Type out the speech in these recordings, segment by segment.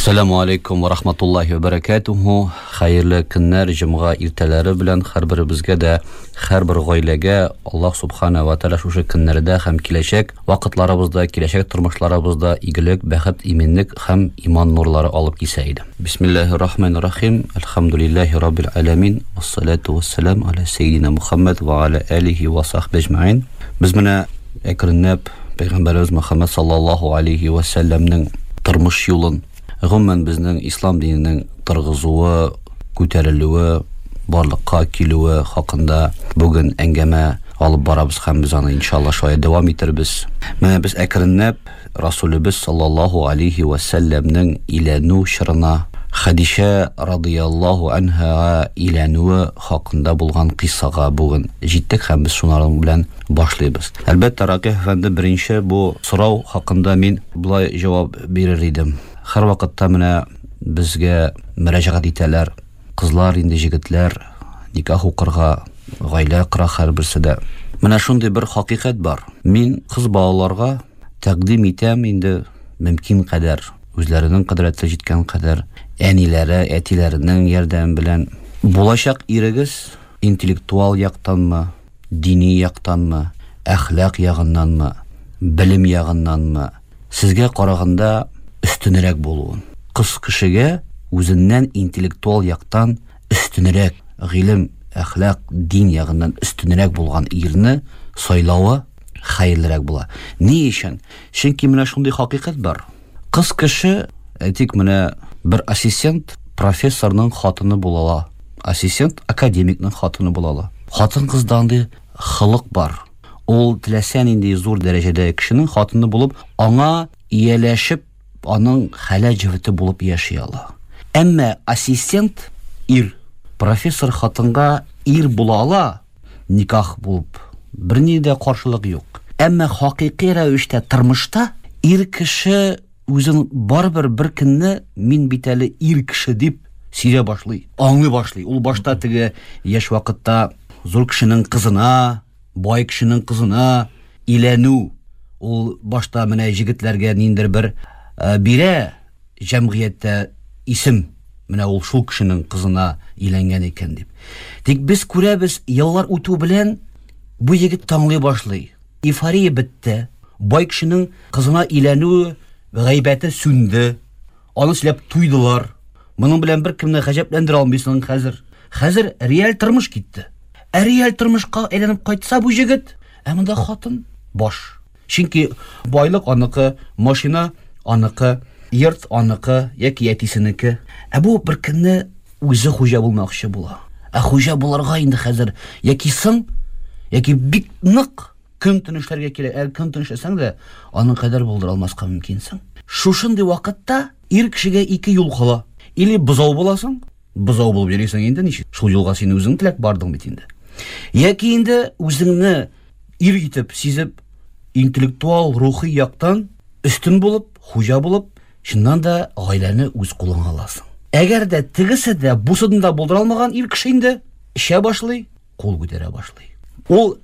Әссәламу алейкум ва рахматуллахи ва баракатуху. Хәерле көннәр, җомга иртәләре белән һәрберебезгә дә, һәрбер гаиләгә Аллаһ субхана ва тааля шушы көннәрдә һәм киләчәк вакытларыбызда, киләчәк тормышларыбызда игелек, бәхет, иминлек һәм иман нурлары алып килсә иде. Бисмиллахир рахманир рахим. Әлхәмдулиллахи раббил аламин. Вассалату вассалам аля сейдина Мухаммад ва аля алихи ва сахби әҗмәин. Без менә әкренләп Пәйгамбәребез Мөхәммәд саллаллаһу алейхи ва сәлләмнең тормыш юлын, гомумән безнең ислам диненең торгызуы, күтәрелүе, барлыкка килүе хакында бүген әңгәмә алып барабыз һәм без аны иншалла шулай дәвам итербез. Менә без әкренләп Расулебез саллаллаһу алейхи ва сәлләмнең иләнү чорына, Хәдичә радыяллаһу анһага иләнүе хакында булган кыйссага бүген җиттек һәм без шуның белән башлыйбыз. Әлбәттә, Ракыйф әфәнде, беренче бу сорау хакында мин болай җавап бирер идем. Һәрвакытта менә безгә мөрәҗәгать итәләр. Кызлар инде, җегетләр никах укырга, гаилә кора һәрберсе дә. Менә шундый бер хакыйкать бар. Мин кыз балаларга тәкъдим итәм инде мөмкин кадәр, үзләренең кодрәте җиткән кадәр, әниләре, әтиләренең ярдәме белән булачак ирегез интеллектуал яктанмы, дини яктанмы, әхлак ягыннанмы, белем ягыннанмы, сезгә караганда өстенрәк булуын. Кыз кешегә үзеннән интеллектуал яктан өстенрәк, гыйлем, әхлак, дин ягыннан өстенрәк булган ирне сайлавы хәерлерәк була. Ни өчен? Чөнки менә шундый хакыйкать бар. Кыз кеше, әйтик, менә бер ассистент профессорның хатыны була ала. Ассистент академикның хатыны була ала. Хатын-кызда андый холык бар. Ул теләсә нинди зур дәрәҗәдәге кешенең хатыны булып, аңа ияләшеп, аның хәләл җефете булып яши ала. Әмма ассистент ир, профессор хатынга ир була ала, никах булып, берни дә каршылык юк. Әмма хакыйкый рәвештә тормышта ир кеше үзен барыбер бер көнне мин бит әле ир кеше дип сизә башлый, аңлый башлый. Ул башта теге яшь вакытта зур кешенең кызына, бай кешенең кызына иләнү, ул башта менә җегетләргә ниндер бер э, бирә җәмгыятьтә исем, менә ул шул кешенең кызына иләнгән икән дип. Тик без күрәбез, еллар үтү белән бу егет таңлый башлый. Эйфория бетте. Бай кешенең кызына иләнү гайбәте сүнде. Аны сөйләп туйдылар. Моның белән беркемне гаҗәпләндерә алмыйсың хәзер. Хәзер реаль тормыш китте. Ә реаль тормышка әйләнеп кайтса бу җегет, ә монда хатын баш. Чөнки байлык аныкы, машина аныкы, йорт аныкы яки әтисенеке. Ә бу бер көнне үзе хуҗа булмакчы була. Ә хуҗа булырга инде хәзер яки соң, яки бик нык көн төн эшләргә кирәк. Ә көн төн эшләсәң дә, аның кадәр булдыра алмаска мөмкинсең. Шушындый вакытта ир кешегә ике юл кала. Или бозау буласың, бозау булып йөрисең инде, ничек? Шул юлга син үзең теләп бардың бит инде. Яки инде үзеңне ир итеп сизеп, интеллектуал, рухи яктан өстен булып, хуҗа булып, чыннан да гаиләне үз кулыңа аласың. Әгәр дә тегесе дә, бусын да булдыра алмаган ир кеше инде эчә башлый, кул күтәрә башлый. Ул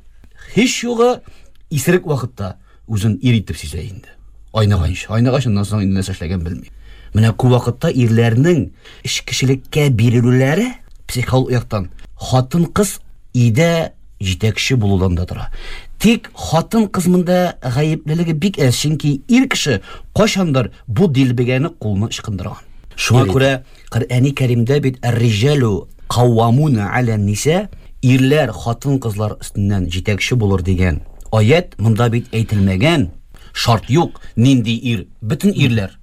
һич югы исерек вакытта үзен ир итеп сизә инде. Айнаганчы, айнагач аннан соң инде нәрсә эшләгән белми. Менә күп вакытта ирләрнең эчкечелеккә бирелүләре психологик яктан хатын-кыз өйдә җитәкче булудан да тора. Тик хатын-кыз монда гаеплелеге бик әз, чөнки ир кеше кайчандыр бу дилбегәне кулына ычкындырган. Шуңа күрә Коръәни Кәримдә бит әр-риҗалу каввамуна аля ниса, ирләр хатын-кызлар өстеннән җитәкче булыр дигән аять монда бит әйтелмәгән. Шарт юк, нинди ир, бөтен ирләр.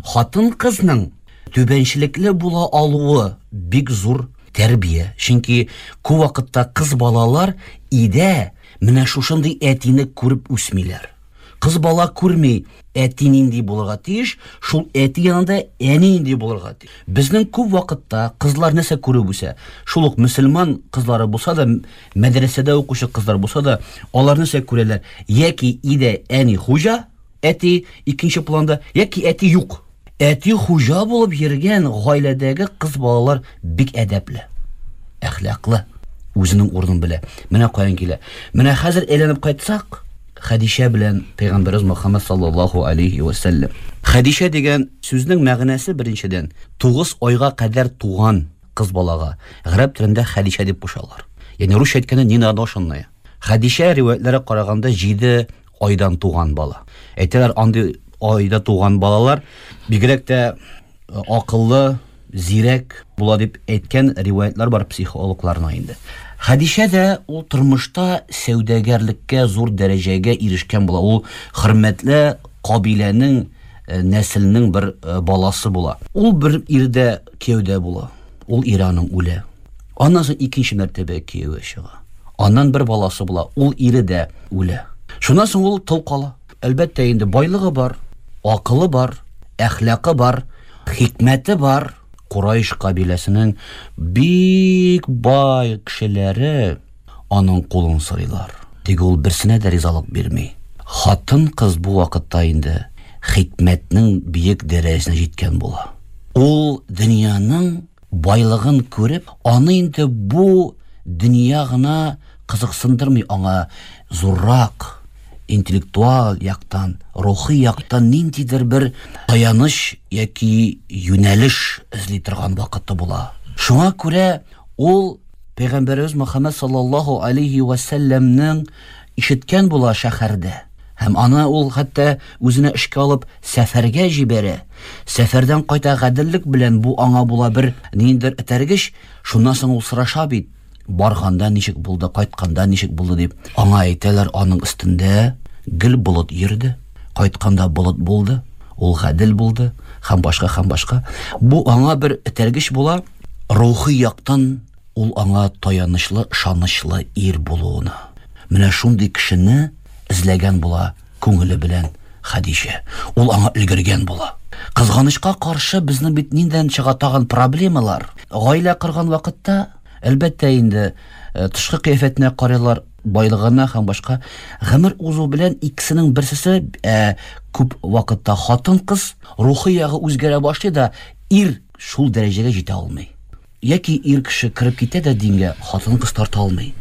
Хатын-кызның түбәнчелекле була алуы бик зур тәрбия. Чөнки күп вакытта кыз балалар өйдә менә шушындый әтине күреп үсмиләр. Кыз бала күрми, әти нинди булырга тиеш, шул әти янында әни нинди булырга тиеш. Безнең күп вакытта кызлар нәрсә күреп үсә? Шул ук мөселман кызлары булса да, мәдрәсәдә укучы кызлар булса да, алар нәрсә күрәләр? Яки өйдә әни хуҗа, әти икенче планда, яки әти юк. Әти хуҗа булып йөргән гаиләдәге кыз балалар бик әдәпле, әхлаклы, үзенең урынын белә. Менә каян килә. Менә хәзер әйләнеп кайтсак, Хәдичә белән пәйгамбәребез Мөхәммәд саллаллаһу алейхи ва сәлләм. Хәдичә дигән сүзнең мәгънәсе беренчедән 9 айга кадәр туган кыз балага гарәп телендә Хәдичә дип кушалар. Ягъни русча әйткәндә ненадошенная. Хәдичә риваятләргә караганда 7 айдан туган бала. Әйтәләр, андый айда туган балалар бигрәк тә акыллы, зирәк була дип әйткән риваятлар бар психологларның инде. Хәдичә дә ул тормышта сәүдәгәрлеккә зур дәрәҗәгә ирешкән була. Ул хөрмәтле кабиләнең, э, нәселнең бер э, баласы була. Ул бер ирдә кияүдә була. Ул ире аның үлә. Аннан соң икенче мәртәбә кияүгә чыга. Аннан бер баласы була. Ул ире дә үлә. Шуннан соң ул тол кала. Әлбәттә инде байлыгы бар, акылы бар, әхлакы бар, хикмәте бар. Курайш кабиләсенең бик бай кешеләре аның кулын сорыйлар. Тик ул берсенә дә ризалык бирми. Хатын-кыз бу вакытта инде хикмәтнең биек дәрәҗәсенә җиткән була. Ул дөньяның байлыгын күреп, аны инде бу дөнья гына кызыксындырмый, аңа зуррак интеллектуаль яктан, рухи яктан ниндидер бер таяныч яки юнәлеш эзли торган вакыты була. Шуңа күрә ул Пәйгамбәребез Мөхәммәд саллаллаһу алейхи ва сәлләмнең ишеткән була шәһәрдә. Һәм аны ул хәтта үзенә эшкә алып сәфәргә җибәрә. Сәфәрдән кайта гаделлек белән бу аңа була бер ниндидер этәргеч. Шуннан соң ул сораша бит, барганда ничек булды, кайтканда ничек булды дип. Аңа әйтәләр, аның өстендә гел болыт йөрде, кайтканда болыт булды, ул гадел булды һәм башка һәм башка. Бу аңа бер этәргеч була, рухи яктан ул аңа таянычлы, ышанычлы ир булуына. Менә шундый кешене эзләгән була күңеле белән Хәдичә. Ул аңа өлгергән була. Кызганычка каршы, безнең бит ниндән чыга тагын проблемалар. Гаилә корган вакытта, әлбәттә инде, э, тышкы кыяфәтенә карыйлар, байлыгына һәм башка. Гомер узу белән икесенең берсесе, ә, күп вакытта хатын-кыз рухи ягы үзгәрә башлый да, ир шул дәрәҗәгә җитә алмый. Яки ир кеше кереп китә дә дингә, хатын-кыз тарта алмый.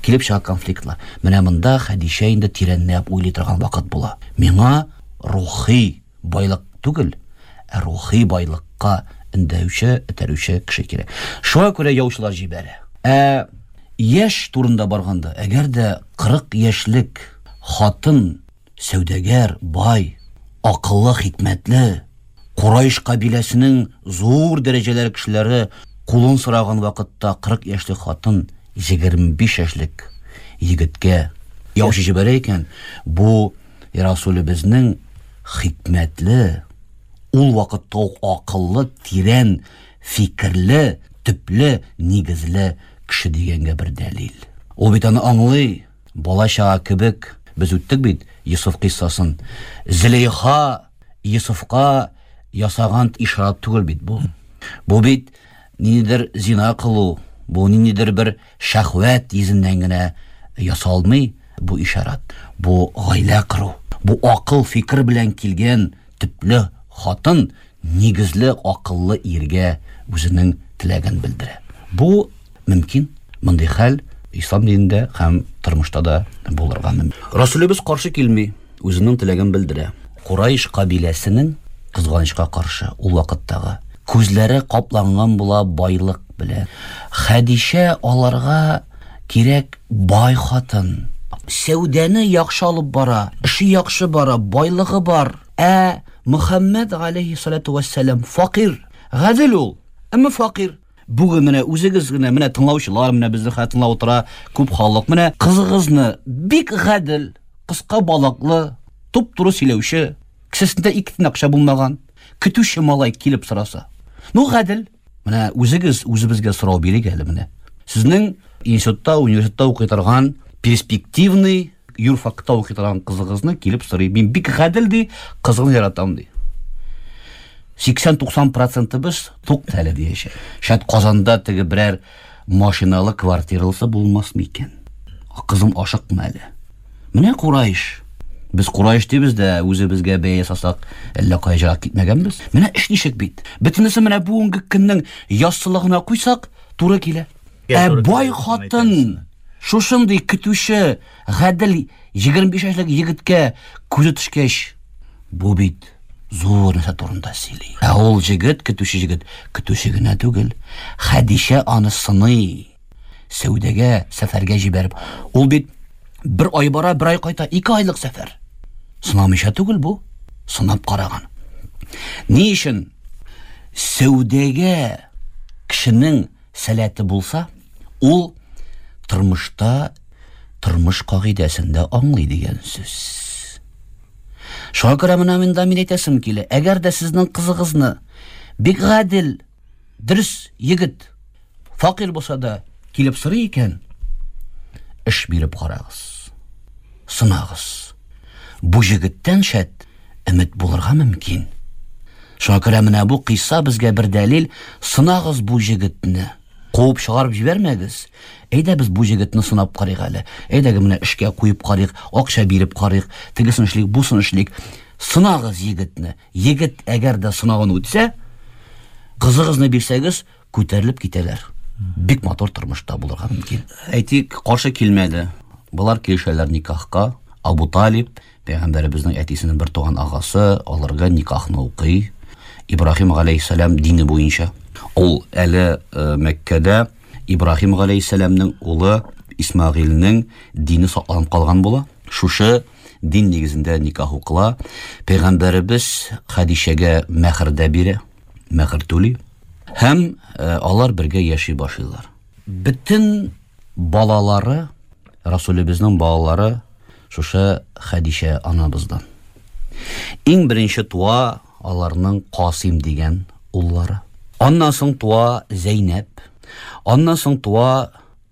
Килеп чыга конфликтлар. Менә монда Хәдичә инде тирәнләп уйлый торган вакыт була. Миңа рухи байлык түгел, ә рухи байлыкка өндәүче, этәрүче кеше кирәк. Шуңа күрә яучылар җибәрә. Ә яшь турында барганда, әгәр дә 40 яшьлек хатын сәүдәгәр, бай, акыллы, хикмәтле, Курайш кабиләсенең зур дәрәҗәләре кешеләре кулын сораган вакытта 40 яшьлек хатын 25 яшьлек егеткә яучы җибәрә икән, бу Расулебезнең хикмәтле, ул вакытта ук акыллы, тирән фикерле, төпле, нигезле кеше дигәнгә бер дәлил. Ул бит аны аңлый, бала-чага кебек без үттек бит Йосыф кыйссасын. Зөләйха Йосыфка ясаган ишарат түгел бит бу. Бу бит ниндидер зина кылу, бу ниндидер бер шәһвәт йөзеннән генә ясалмый бу ишарат. Бу гаилә кору, бу акыл фикер белән килгән төпле хатын нигезле акыллы иргә үзенең теләген белдерә. Бу мөмкин. Мондый хәл ислам динендә һәм тормышта да булырга мөмкин. Расулебез каршы килми, үзенең теләген белдерә. Курайш кабиләсенең, кызганычка каршы, ул вакыттагы күзләре капланган була байлык белән. Хәдичә аларга кирәк бай хатын. Сәүдәне яхшы алып бара, эше яхшы бара, байлыгы бар. Ә Мөхәммәд галәйһиссалату вәссәлам факир, гадел ул, әмма факир. Бүген менә үзегез генә, менә тыңлаучылар, менә безне хәзер тыңлап утыра күп халык. Менә кызыгызны бик гадел, кыска балаклы, туп-туры сөйләүче, кесәсендә ике тиен акча булмаган, көтүче малай килеп сораса. Ну, гадел. Менә үзегез үзебезгә сорау бирик әле менә. Сезнең институтта, университетта укый торган перспективный юрфакта укый торган кызыгызны килеп сорый. Мин бик гадел ди, кызыңны яратам ди. 80-90 процентыбыз тук әле диячәк. Шәт Казанда теге берәр машиналы квартиралысы булмас микән? Кызым ашыкма әле. Менә Курайш. Без Курайш дибез дә, үзебезгә бәя ясасак, әллә кая җырак китмәгәнбез. Менә эш ничек бит. Бөтенесе менә бүгенге көннең яссылыгына куйсак, туры килә. Ә бай хатын. Шушындый көтүче, гадел 25 яшьлек егеткә күзе төшкәч, бу бит зур нәрсә турында сөйли. Ә ул җегет, көтүче җегет, көтүче генә түгел, Хәдичә аны сыный. Сәүдәгә, сәфәргә җибәреп. Ул бит бер ай бара, бер ай кайта, 2 айлык сәфәр. Сынамыйча түгел бу, сынап караган. Ни өчен сәүдәгә кешенең сәләте булса, ул тормышта тормыш кагыйдәсен дә аңлый дигән сүз. Шуңа күрә менә монда мин әйтәсем килә, әгәр дә сезнең кызыгызны бик гадел, дөрес егет, факир булса да килеп сорый икән, эш биреп карагыз. Сынагыз. Бу җегеттән шәт өмет булырга мөмкин. Шуңа күрә менә бу кыйсса безгә бер дәлил, сынагыз бу җегетне. Куып чыгарып җибәрмәгез. Әйдә без бу җегетне сынап карыйк әле. Әйдәге менә эшкә куеп карыйк, акча биреп карыйк, тегесен эшлик, бусын эшлик. Сынагыз егетне. Егет әгәр дә сынавын үтсә, кызыгызны бирсәгез, күтәрелеп китәләр. Бик матур тормышта булырга мөмкин. Әйтик, каршы килмәде. Болар килешәләр никахка. Абу Талиб, пәйгамбәребезнең әтисенең бер туган агасы, аларга никахны укый. Ибраһим галәйһиссәлам дине буенча. Ул әле Мәккәдә Ибраһим галәйһиссәламнең улы Исмагыйльнең дине сакланып калган була. Шушы дин нигезендә никах укыла. Пәйгамбәребез Хәдичәгә мәһр дә бирә, мәһр түли. Һәм алар бергә яши башлыйлар. Бөтен балалары, Расулебезнең балалары шушы Хәдичә анабыздан. Иң беренче туа аларның Касыйм дигән уллары. Аннан соң туа Зәйнәб. Аннан соң туа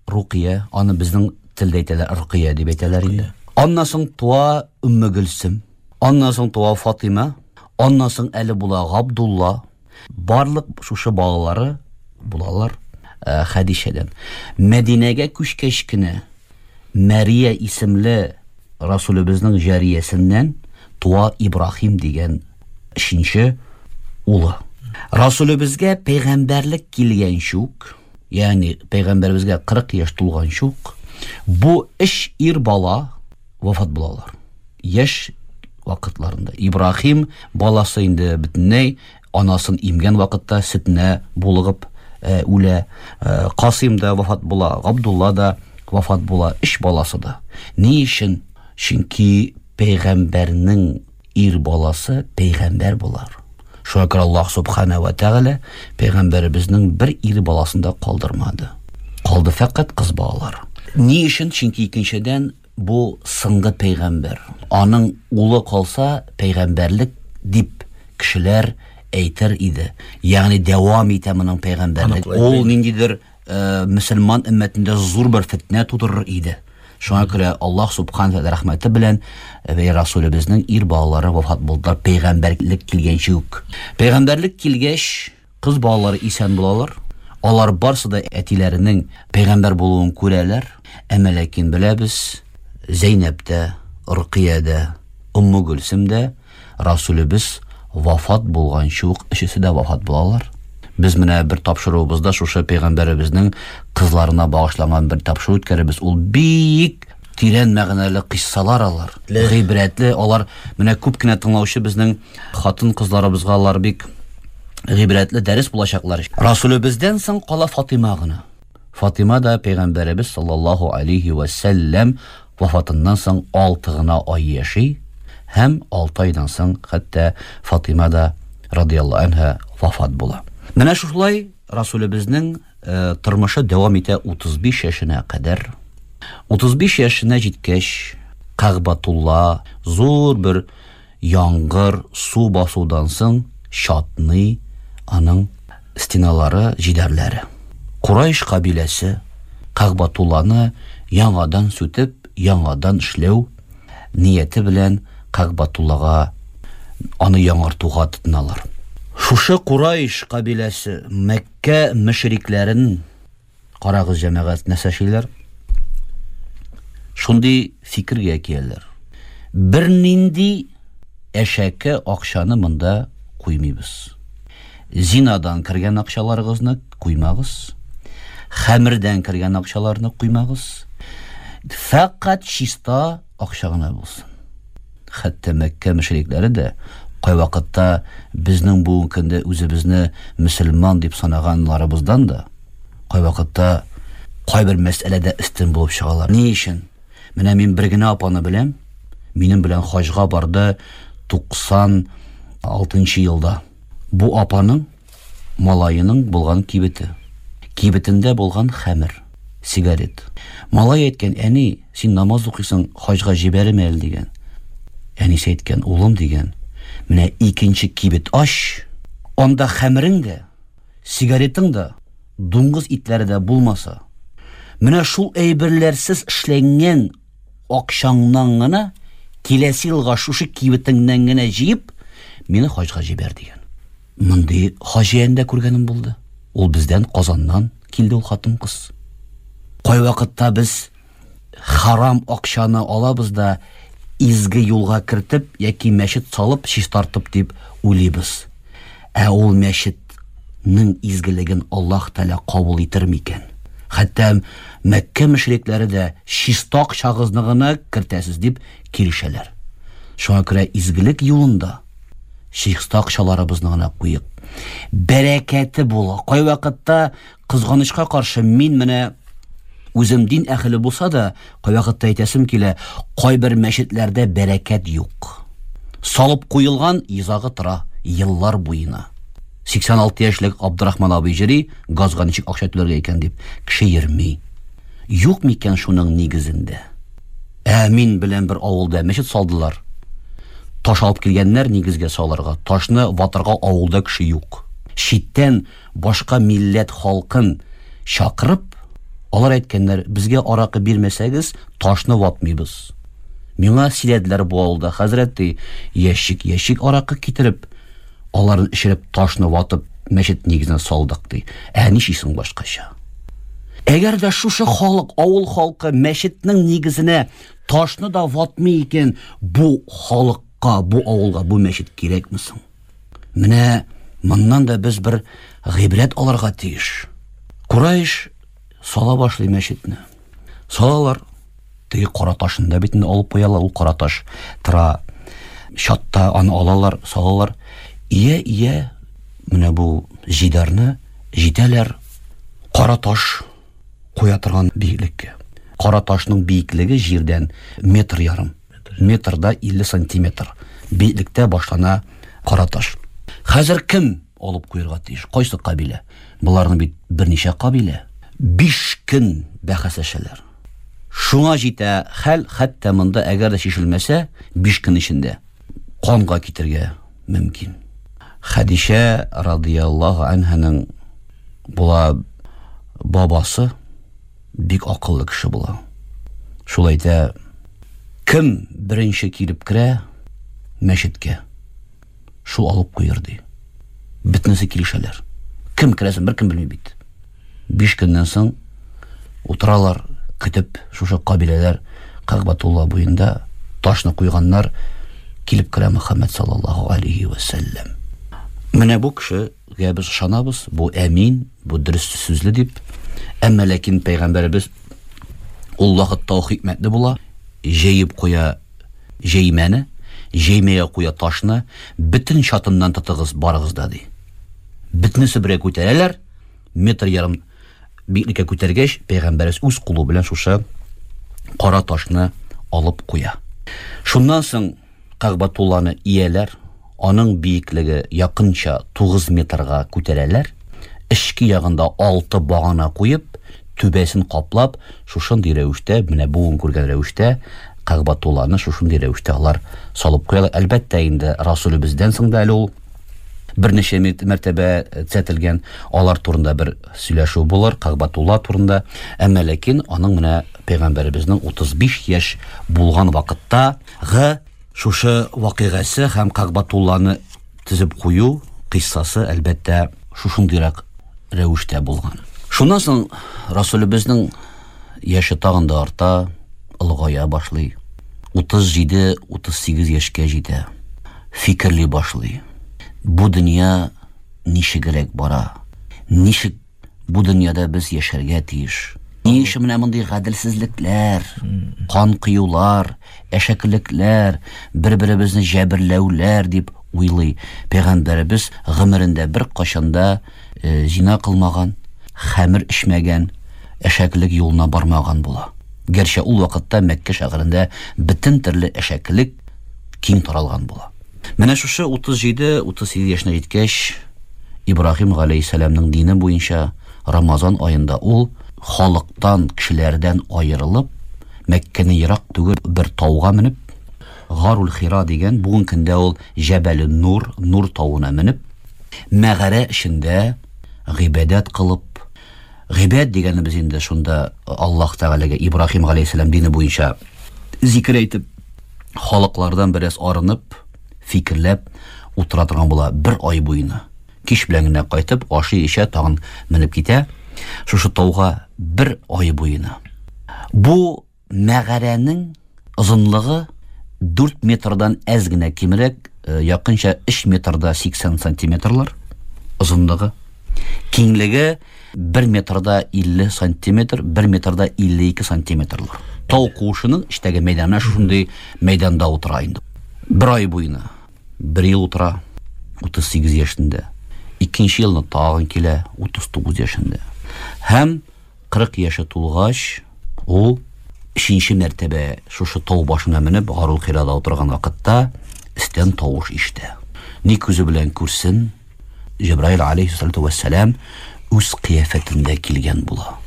Рукия, аны безнең телдә әйтәләр, Рукия дип әйтәләр инде. Аннан соң туа Өмме Гөлсем. Аннан соң туа Фатима. Аннан соң әле була Габдулла. Барлык шушы балалары булалар Хәдичәдән. Мәдинәгә күчкәч кенә Мәрия исемле Расулебезнең җариясеннән туа Ибраһим дигән өченче улы. Расулебезгә пәйгамбәрлек килгәнче үк, ягъни пәйгамбәребезгә 40 яшь тулганчы ук, бу өч ир бала вафат булалар. Яшь вакытларында. Ибраһим баласы инде бөтенләй анасын имгән вакытта сөтенә булыгып үлә. Касыйм да вафат була, Габдулла да вафат була, өч баласы да. Ни өчен? Чөнки пәйгамбәрнең ир баласы пәйгамбәр булар. Шуңа күрә Аллаһ Субхана ва Тәгалә пәйгамбәребезнең бер ир баласын да калдырмады. Калды фәкать кыз балалар. Ни өчен? Чөнки икенчедән бу соңгы пәйгамбәр. Аның улы калса, пәйгамбәрлек дип кешеләр әйтер иде. Ягъни дәвам итә моның пәйгамбәрлек. Ул ниндидер мөселман өммәтендә зур бер фетнә тудырыр иде. Шуңа күрә Аллаһ Субхана ва рәхмәте белән вә Расулебезнең ир балалары вафат булдылар пәйгамбәрлек килгәнче үк. Пәйгамбәрлек килгәч, кыз балалары исән булалар. Алар барсы да әтиләренең пәйгамбәр булуын күрәләр. Әмма ләкин беләбез, Зәйнәб тә, Рукия дә, Умму Гөлсем дә Расулебез вафат булганчы ук өчесе дә вафат булалар. Без менә бер тапшыруыбызда шушы пәйгамбәребезнең кызларына багышланган бер тапшыру үткәрәбез. Ул бик тирән мәгънәле кыйссалар алар. Гыйбрәтле алар. Менә күп кенә тыңлаучы безнең хатын-кызларыбызга алар бик гыйбрәтле дәрес булачаклар. Расулебездән соң кала Фатыйма гына. Фатыйма да пәйгамбәребез саллаллаһу алейһи вә сәлләм вафатыннан соң 6 гына ай яши һәм 6 айдан соң хәтта Фатыйма да радияллаһу анһа вафат була. Менә шушылай Расулебезнең тормышы дәвам итә 35 яшенә кадәр. 35 яшенә җиткәч, Кәгъбатулла зур бер Яңгыр, су басудан соң чатный аның стеналары, җидәрләре. Курайш кабиләсе Кәгъбатулланы яңадан сүтеп, яңадан эшләү нияте белән Кәгъбатуллага аны яңартуга тотыналар. Шушы Курайш кабиләсе Мәккә мөшрикләрен Карагыз, җәмәгать, нәрсә эшлиләр? Шундый фикергә киләләр. Бернинди әшәке акчаны монда куймыйбыз. Зинадан кергән акчаларыгызны куймагыз. Хәмердән кергән акчаларны куймагыз. Фәкать чиста акча гына булсын. Хәтта Мәккә мөшрикләре дә кайвакытта безнең бүгенге көндә үзебезне мөселман дип санаганларыбыздан да кайвакытта кайбер мәсьәләдә өстен булып чыгалар. Ни өчен? Менә мин бер генә апаны беләм. Минем белән хаҗга барды 96 елда. Бу апаның малаеның булган кибете. Кибетендә булган хәмер, сигарет. Малай әйткән, әни, син намаз укыйсың, хаҗга җибәрме әле дигән. Әнисе әйткән, улым дигән, менә икенче кибет ач, анда хәмерең дә, сигаретың да, дуңгыз итләре дә булмаса, менә шул әйберләрсез эшләнгән акчаңнан гына киләсе елга шушы кибетеңнән генә җыеп, мине хаҗга җибәр дигән. Мондый хаҗияне дә күргәнем булды. Ул бездән Казаннан килде ул хатын-кыз. Кайвакытта без харам акчаны алабыз да изге юлга кертеп яки мәчет салып чистартып дип уйлыйбыз. Ә ул мәчетнең изгелеген Аллаһ Тәгалә кабул итер микән? Хәтта Мәккә мөшрикләре дә чиста акчагызны гына кертәсез дип килешәләр. Шуңа күрә изгелек юлында чиста акчаларыбызны гына куйык. Бәрәкәте була. Кайвакытта кызганычка каршы мин менә үзем дин әһеле булса да, кайвакытта әйтәсем килә, кайбер мәчетләрдә бәрәкәт юк. Салып куелган йозагы тора еллар буена. 86 яшьлек Абдрахман абый йөри, газга ничек акча түләргә икән дип, кеше йөрми. Юк микән шуның нигезендә? Ә мин белән бер авылда мәчет салдылар. Таш алып килгәннәр нигезгә салырга. Ташны ватырга авылда кеше юк. Читтән башка милләт халкын чакырып, алар әйткәннәр, безгә аракы бирмәсәгез, ташны ватмыйбыз. Миңа сөйләделәр бу авылда, хәзрәт ди, ящик-ящик аракы китереп, аларын эчереп, ташны ватып, мәчет нигезенә салдык ди. Ә ничисең башкача? Әгәр дә шушы халык, авыл халкы мәчетнең нигезенә ташны да ватмый икән, бу халыкка, бу авылга бу мәчет кирәкме соң? Менә моннан да без бер гыйбрәт алырга тиеш. Курайш сала башлый мәчетне. Салалар. Теге кара ташын да бит инде алып куялар, ул кара таш тора чатта, аны алалар, салалар. Ия, ия, менә бу җидарны җитәләр кара таш куя торган биеклеккә. Кара ташның биеклеге җирдән метр ярым. Метрда 50 сантиметр биеклектә башлана кара таш. Хәзер кем алып куярга тиеш? Кайсы кабилә? Боларның бит берничә кабилә. 5 көн бәхәсләшәләр. Шуңа җитә хәл, хәтта монда әгәр дә чишелмәсә, 5 көн эчендә канга китергә мөмкин. Хәдичә радияллаһу анһаның була бабасы бик акыллы кеше була. Шул әйтә, кем беренче килеп керә мәчеткә, шул алып куер ди. Бөтенесе килешәләр. Кем керәсен беркем белми бит. 5 көннән соң утыралар, көтеп, шушы кабиләләр Кәгъбәтулла буенда ташны куйганнар, килеп керә Мөхәммәд саллаллаһу алейхи вә сәлләм. Менә бу кешегә без ышанабыз, бу әмин, бу дөрес сүзле дип. Әмма ләкин пәйгамбәребез ул вакытта ул хикмәтле була, җәеп куя җәймәне, җәймәгә куя ташны, бөтен чатыннан тотыгыз барыгыз да ди. Бөтенесе бергә күтәрәләр, метр ярым биеклеккә күтәргәч, пәйгамбәребез үз кулы белән шушы кара ташны алып куя. Шуннан соң Кәгъбәтулланы ияләр, аның биеклеге якынча 9 метрга күтәрәләр, эчке ягында 6 багана куеп, түбәсен каплап, шушындый рәвештә, менә бүген күргән рәвештә Кәгъбәтулланы шушындый рәвештә алар салып куялар. Әлбәттә инде, Расулебездән соң да әле ул берничә мәртәбә төзәтелгән, алар турында бер сөйләшү булыр, Кәгъбәтулла турында. Әмма ләкин аның менә пәйгамбәребезнең 35 яшь булган вакытта гы шушы вакыйгасы һәм Кәгъбәтулланы төзеп кую кыйссасы, әлбәттә, шушындыйрак рәвештә булган. Шуннан соң Расулебезнең яше тагын да арта, олыгая башлый. 37-38 яшькә җитә. Фикерли башлый. Бу дөнья ничегрәк бара? Ничек бу дөньяда без яшәргә тиеш? Ни өчен менә мондый гаделсезлекләр, кан коюлар, әшәкелекләр, бер-беребезне җәберләүләр дип уйлый. Пәйгамбәребез гомерендә беркайчан да э, зина кылмаган, хәмер эчмәгән, әшәкелек юлына бармаган була. Гәрчә ул вакытта Мәккә шәһәрендә бөтен төрле әшәкелек киң таралган була. Менә шушы 37-38 яшенә җиткәч, Ибраһим галәйһиссәламнең дине буенча Рамазан аенда ул халыктан, кешеләрдән аерылып, Мәккәне ерак түгел бер тауга менеп, Гарул Хира дигән, бүген көндә ул Җәбәле Нур, Нур тавына менеп, мәгарә эчендә гыйбадәт кылып, гыйбадәт дигәнебез инде шунда Аллаһ Тәгаләгә Ибраһим галәйһиссәлам дине буенча зикер әйтеп, халыклардан бераз арынып, фикерләп утыра торган була бер ай буена. Кич белән генә кайтып, ашый, эчә, тагын менеп китә. Шушы тауга бер ай буена. Бу мәгарәнең озынлыгы 4 метрдан әз генә кимрәк, э, якынча 3 метрда 80 сантиметрлар озынлыгы. Киңлеге 1 метрда 50 сантиметр, 1 метрда 52 сантиметрлар. Тау куышының эчтәге мәйданы шушындый мәйданда утыра инде. Бер ай буена. Бер ел утыра, 38 яшендә. Икенче елны тагын килә, 39 яшендә. Һәм 40 яше тулгач, ул өченче мәртәбә шушы тау башына менеп, Гарул Хирада утырган вакытта өстән тавыш ишетә. Ни күзе белән күрсен, Җәбраил алейһиссалату вәссәлам үз кыяфәтендә килгән була.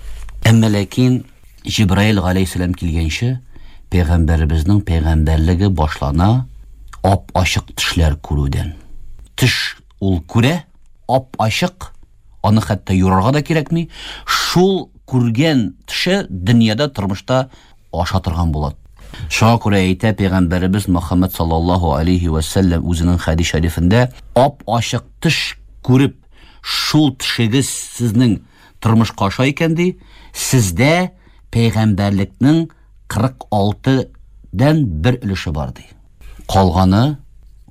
Әмма ләкин Җәбраил алейһиссалам килгәнче, пәйгамбәребезнең пәйгамбәрлеге башлана ап-ачык төшләр күрүдән. Төш ул күрә, ап-ачык, аны хәтта юрарга да кирәкми. Шул күргән төше дөньяда, тормышта аша торган була. Шуңа күрә әйтә пәйгамбәребез Мөхәммәд саллаллаһу алейхи ва сәлләм үзенең хәдис шәрифендә, ап-ачык төш күреп, шул төшегез сезнең тормышка аша икән ди, сездә пәйгамбәрлекнең 46 дән бер өлеше бар ди. Калганы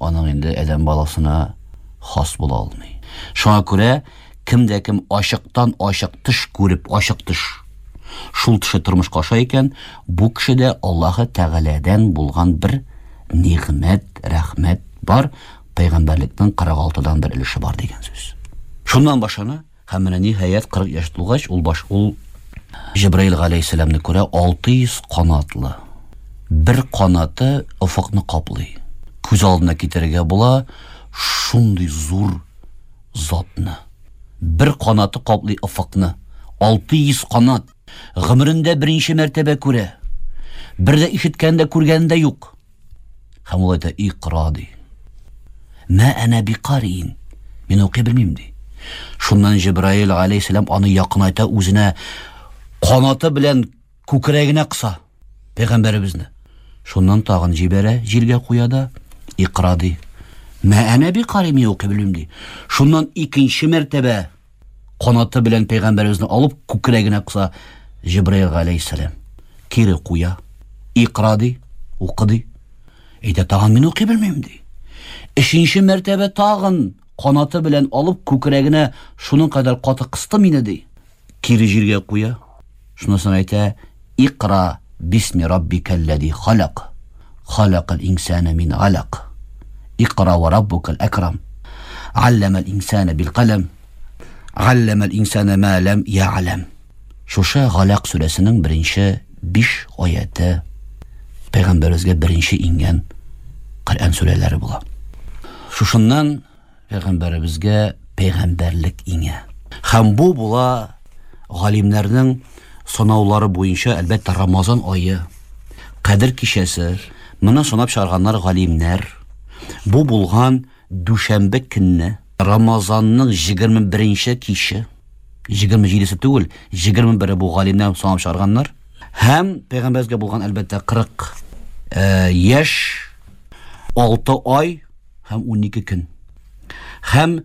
аның инде адәм баласына хас була алмый. Шуңа күрә кем дә кем ачыктан ачык төш күреп, ачык төш, шул төше тормышка аша икән, бу кешедә Аллаһы Тәгаләдән булган бер нигъмәт, рәхмәт бар, пәйгамбәрлекнең 46-дан бер өлеше бар дигән сүз. Шуннан башлана. Һәм менә ниһаять 40 яшь тулгач, ул баш ул Җәбраил галәйһиссәламне күрә 600 канатлы. Бер канаты офыкны каплый. Күз алдына китерергә була шундый зур затны. Бер канаты каплый офыкны. 600 канат. Гомерендә беренче мәртәбә күрә. Бер дә ишеткән дә күргән дә юк. Һәм ул әйтә, икра, ди. Мә әнә бикариин. Мин укый белмим, ди. Шуннан Җибраил алейһиссәлам аны якынайта үзенә канаты белән күкрәгенә кыса пәйгамбәребезне. Шуннан тагын җибәрә, җиргә куя да, икра, ди. Мә әнә бикари, мин укый белмим, ди. Шуннан икенче мәртәбә канаты белән пәйгамбәребезне алып күкрәгенә кыса Җибраил галәйһиссәлам. Кире куя. Икра ди, укы ди. Әйтә, тагын мин укый белмим ди. Өченче мәртәбә тагын канаты белән алып күкрәгенә шуның кадәр каты кысты мине ди. Кире җиргә куя. Шуннан соң әйтә, Икра бисми раббикәлләзи халак. Халакал инсана мин алак. Икра ва раббукал әкрам. Алламал инсана бил калам. Алламал инсана ма лам я'лам. Шушы Галак сүрәсенең беренче 5 аяты пәйгамбәребезгә беренче иңгән Коръән сүрәләре була. Шушыннан пәйгамбәребезгә пәйгамбәрлек иңә. Һәм бу була галимнәрнең санаулары буенча, әлбәттә, Рамазан ае, Кадер кичәсе, моны санап чыгарганнар галимнәр. Бу булган дүшәмбе көнне, Рамазанның 21 киче, 27-се түгел, 21-е бу галимнәр санап чыгарганнар. Һәм пәйгамбәребезгә булган, әлбәттә, 40 э, яшь, 6 ай һәм 12 көн. Һәм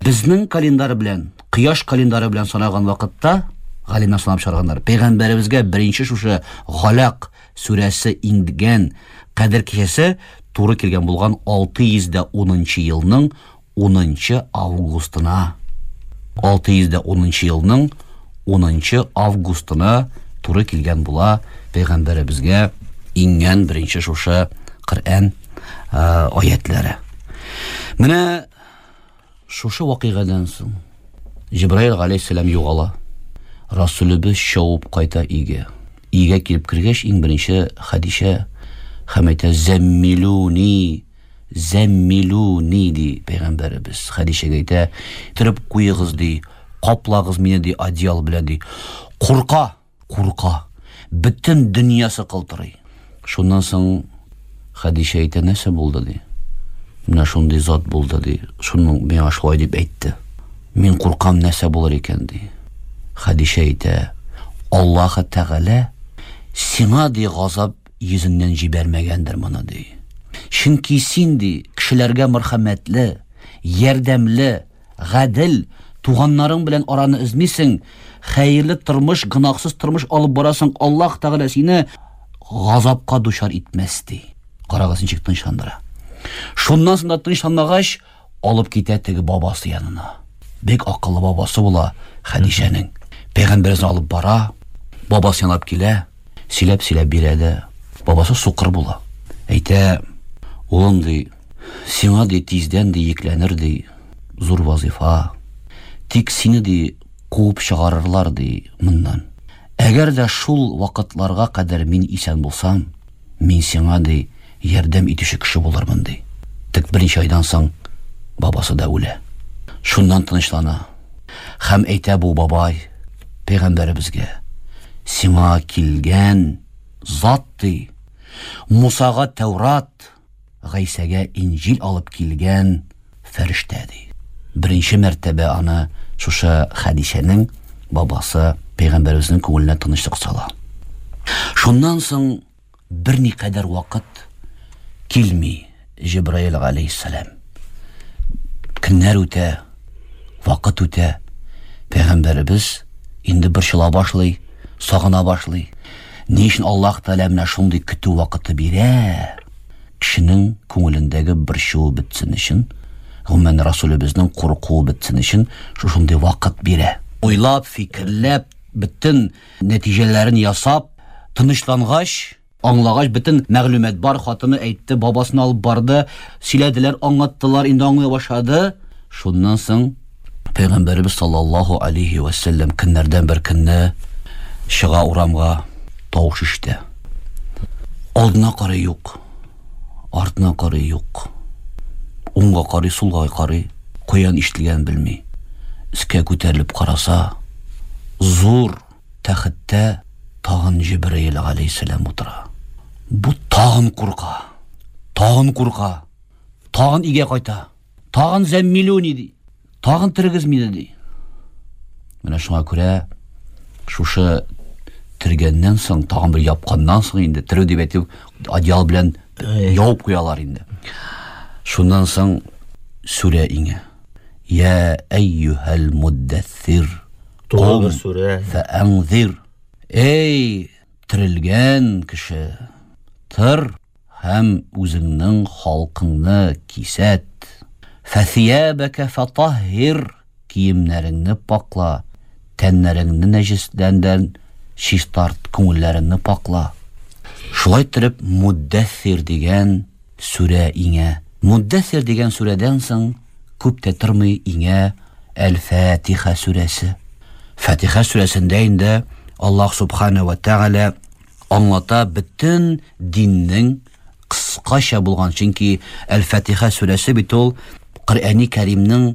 безнең календарь белән, кояш календары белән санаган вакытта, галимнәр санап чыгарганнар, пәйгамбәребезгә беренче шушы Галак сүрәсе иңгән Кадер кичәсе туры килгән булган 610 елның 10 августына. 610 елның 10 августына туры килгән була пәйгамбәребезгә иңгән беренче шушы Коръән аятлары. Менә шушы вакыйгадан соң Җибраил галәйһиссәлам югала. Расулебез чабып кайта өйгә. Өйгә килеп кергәч, иң беренче Хәдичә һәм әйтә: "Зәммилуни, зәммилуни", ди пәйгамбәребез. Хәдичәгә әйтә: "Төреп куегыз", ди, "каплагыз мине", ди, одеял белән, ди. Курка, курка. Бөтен дөньясы калтырый. Шуннан соң Хәдичә әйтә, нәрсә булды, ди. Менә шундый зат булды, ди. Шуның миңа шулай дип әйтте. Мин куркам, нәрсә булыр икән, ди. Хәдичә әйтә, Аллаһы Тәгалә сиңа, ди, газап йөзеннән җибәрмәгәндер моны, ди. Чөнки син, ди, кешеләргә мәрхәмәтле, ярдәмле, гадел, туганнарың белән араны өзмисең, хәерле тормыш, гөнаһсыз тормыш алып барасың, Аллаһ Тәгалә сине газапка дучар итмәс, ди. Карагыз, ничек тынычландыра. Шуннан соң да тынычланмагач, алып китә теге бабасы янына. Бик акыллы бабасы була Хәдичәнең. Пәйгамбәребезне алып бара, бабасы янап килә, сөйләп-сөйләп бирә дә, бабасы сукыр була. Әйтә, улым, ди, сиңа, ди, тиздән, ди, йөкләнер, ди, зур вазифа. Тик сине, ди, куып чыгарырлар, ди, моннан. Әгәр дә шул вакытларга кадәр мин исән булсам, мин сиңа, ди, ярдәм итүче кеше булырмын, ди. Тик берничә айдан соң бабасы да үлә. Шуннан тынычлана. Һәм әйтә бу бабай пәйгамбәребезгә: "Сиңа килгән зат, ди, Мусага Тәүрат, Гайсәгә Инҗил алып килгән фәрештә, ди. Беренче мәртәбә аны шушы Хәдичәнең бабасы пәйгамбәребезнең күңеленә тынычлык сала. Шуннан соң берникадәр вакыт килми Җибраил галәйһиссәлам. Көннәр үтә, вакыт үтә. Пәйгамбәребез инде борчыла башлый, сагына башлый. Ни өчен Аллаһ Тәгалә менә шундый көтү вакыты бирә? Кешенең күңелендәге борчуы бетсен өчен, гомумән Расулебезнең куркуы бетсен өчен шушындый вакыт бирә. Уйлап, фикерләп, бөтен нәтиҗәләрен ясап, тынычлангач, аңлагач, бөтен мәгълүмат бар, хатыны әйтте, бабасын алып барды, сөйләделәр, аңлаттылар, инде аңлый башлады. Шуннан соң Пәйгамбәребез саллаллаһу алейхи вә сәлләм көннәрдән бер көнне чыга урамга, тавыш ишетә. Алдына карый юк, артына карый юк. Уңга карый, сулга карый, каян ишетелгәнен белми. Өскә күтәрелеп караса, зур тәхеттә тагын Җибраил галәйһиссәлам утыра. Бу тагын курка, тагын курка, тагын өйгә кайта. Тагын зәммилүни ди. Тагын терегез мине ди. Менә шуңа күрә шушы тергәннән соң, тагын бер япканнан соң инде терү дип әйтү одеял белән ябып куялар инде. Шуннан соң сүрә иңә. Я әйюһәл муддассир. Тулы бер сүрә. Фәәнзир. Эй, терелгән кеше, тыр Һәм үзеңнең халкыңны кисәт. Фәсиябәкә фәтаһһир, киемнәреңне пакла, тәннәреңне нәҗесләрдән чистарт, күңелләреңне пакла. Шулай иттереп, Муддәссир дигән сүрә иңә. Муддәссир дигән сүрәдән соң күп тә тормый иңә Әл-Фатиха сүрәсе. Фатиха сүрәсендә инде Аллаһ Субхана вә Тәгалә аңлата бөтен диннең кыскача булган, чөнки Әл-Фатиха сүрәсе бит ул Коръәни Кәримнең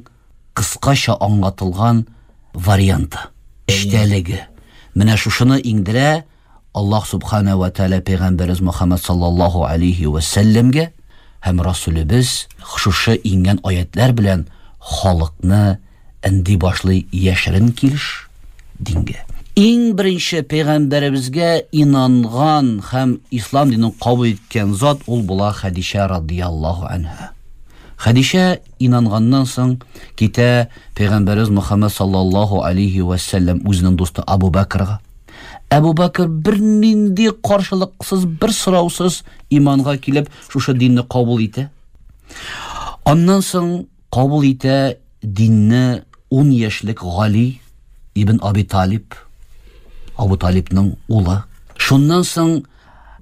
кыскача аңлатылган варианты, эчтәлеге. Менә шушыны иңдерә Аллаһ Субхана ва Тәгалә пәйгамбәребез Мөхәммәд саллаллаһу алейхи ва сәлләмгә һәм Расулебез шушы иңгән аятлар белән халыкны Энди башлый яшерен килеш дингә. Иң беренче пәйгамбәребезгә инанган һәм ислам динен кабул иткән зат ул була Хәдичә радияллаһу анһа. Хәдичә инанганнан соң китә пәйгамбәребез Мөхәммәд саллаллаһу алейхи вә сәлләм үзенең дусты Абу Бәкрга. Әбу Бәкр бернинди каршылыксыз, бер сораусыз иманга килеп, шушы динне кабул итә. Аннан соң кабул итә динне 10 яшьлек Гали. ибн Аби Талиб, Абу Талибның улы. Шуннан соң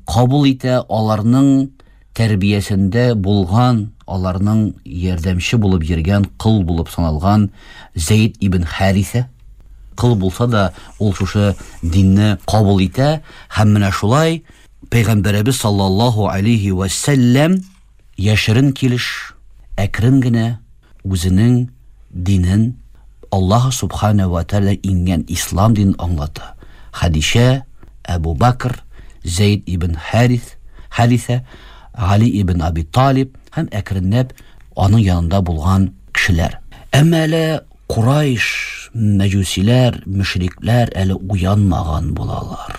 кабул итә аларның тәрбиясендә булган, аларның ярдәмче булып йөргән, кол булып саналган Зәйд ибн Хәрисә. Кол булса да, ул шушы динне кабул итә һәм менә шулай Пәйгамбәребез саллаллаһу алейһи вә сәлләм яшерен килеш, әкрен генә үзенең динен Аллаһ Субхана вә Тәгалә иңгән ислам динен аңлата. Хәдичә, Әбу Бәкр, Зәйд ибн Харис, Харисә, Гали ибн Аби Талиб һәм әкренләп аның янында булган кешеләр. Әмма әле Курайш, мәҗүсиләр, мөшрикләр әле уянмаган булалар.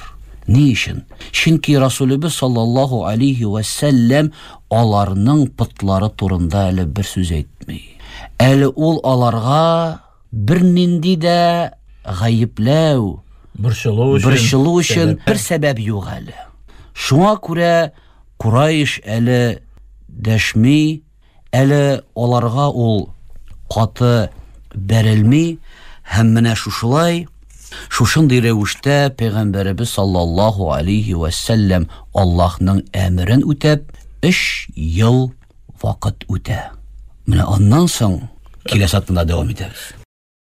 Ни өчен? Чөнки Расулебез саллаллаһу алейһи вә сәлләм аларның потлары турында әле бер сүз әйтми. Әле ул аларга бернинди дә гаепләү, борчылу өчен, борчылу өчен бер сәбәп юк әле. Шуңа күрә Курайш әле дәшми, Әле аларга ул каты бәрелми һәм менә шушылай, шушындый рәвештә пәйгамбәребез саллаллаһу алейһи вә сәлләм Аллаһның әмерен үтәп, өч ел вакыт үтә. Менә аннан соң киләсе атнада дәвам итәбез.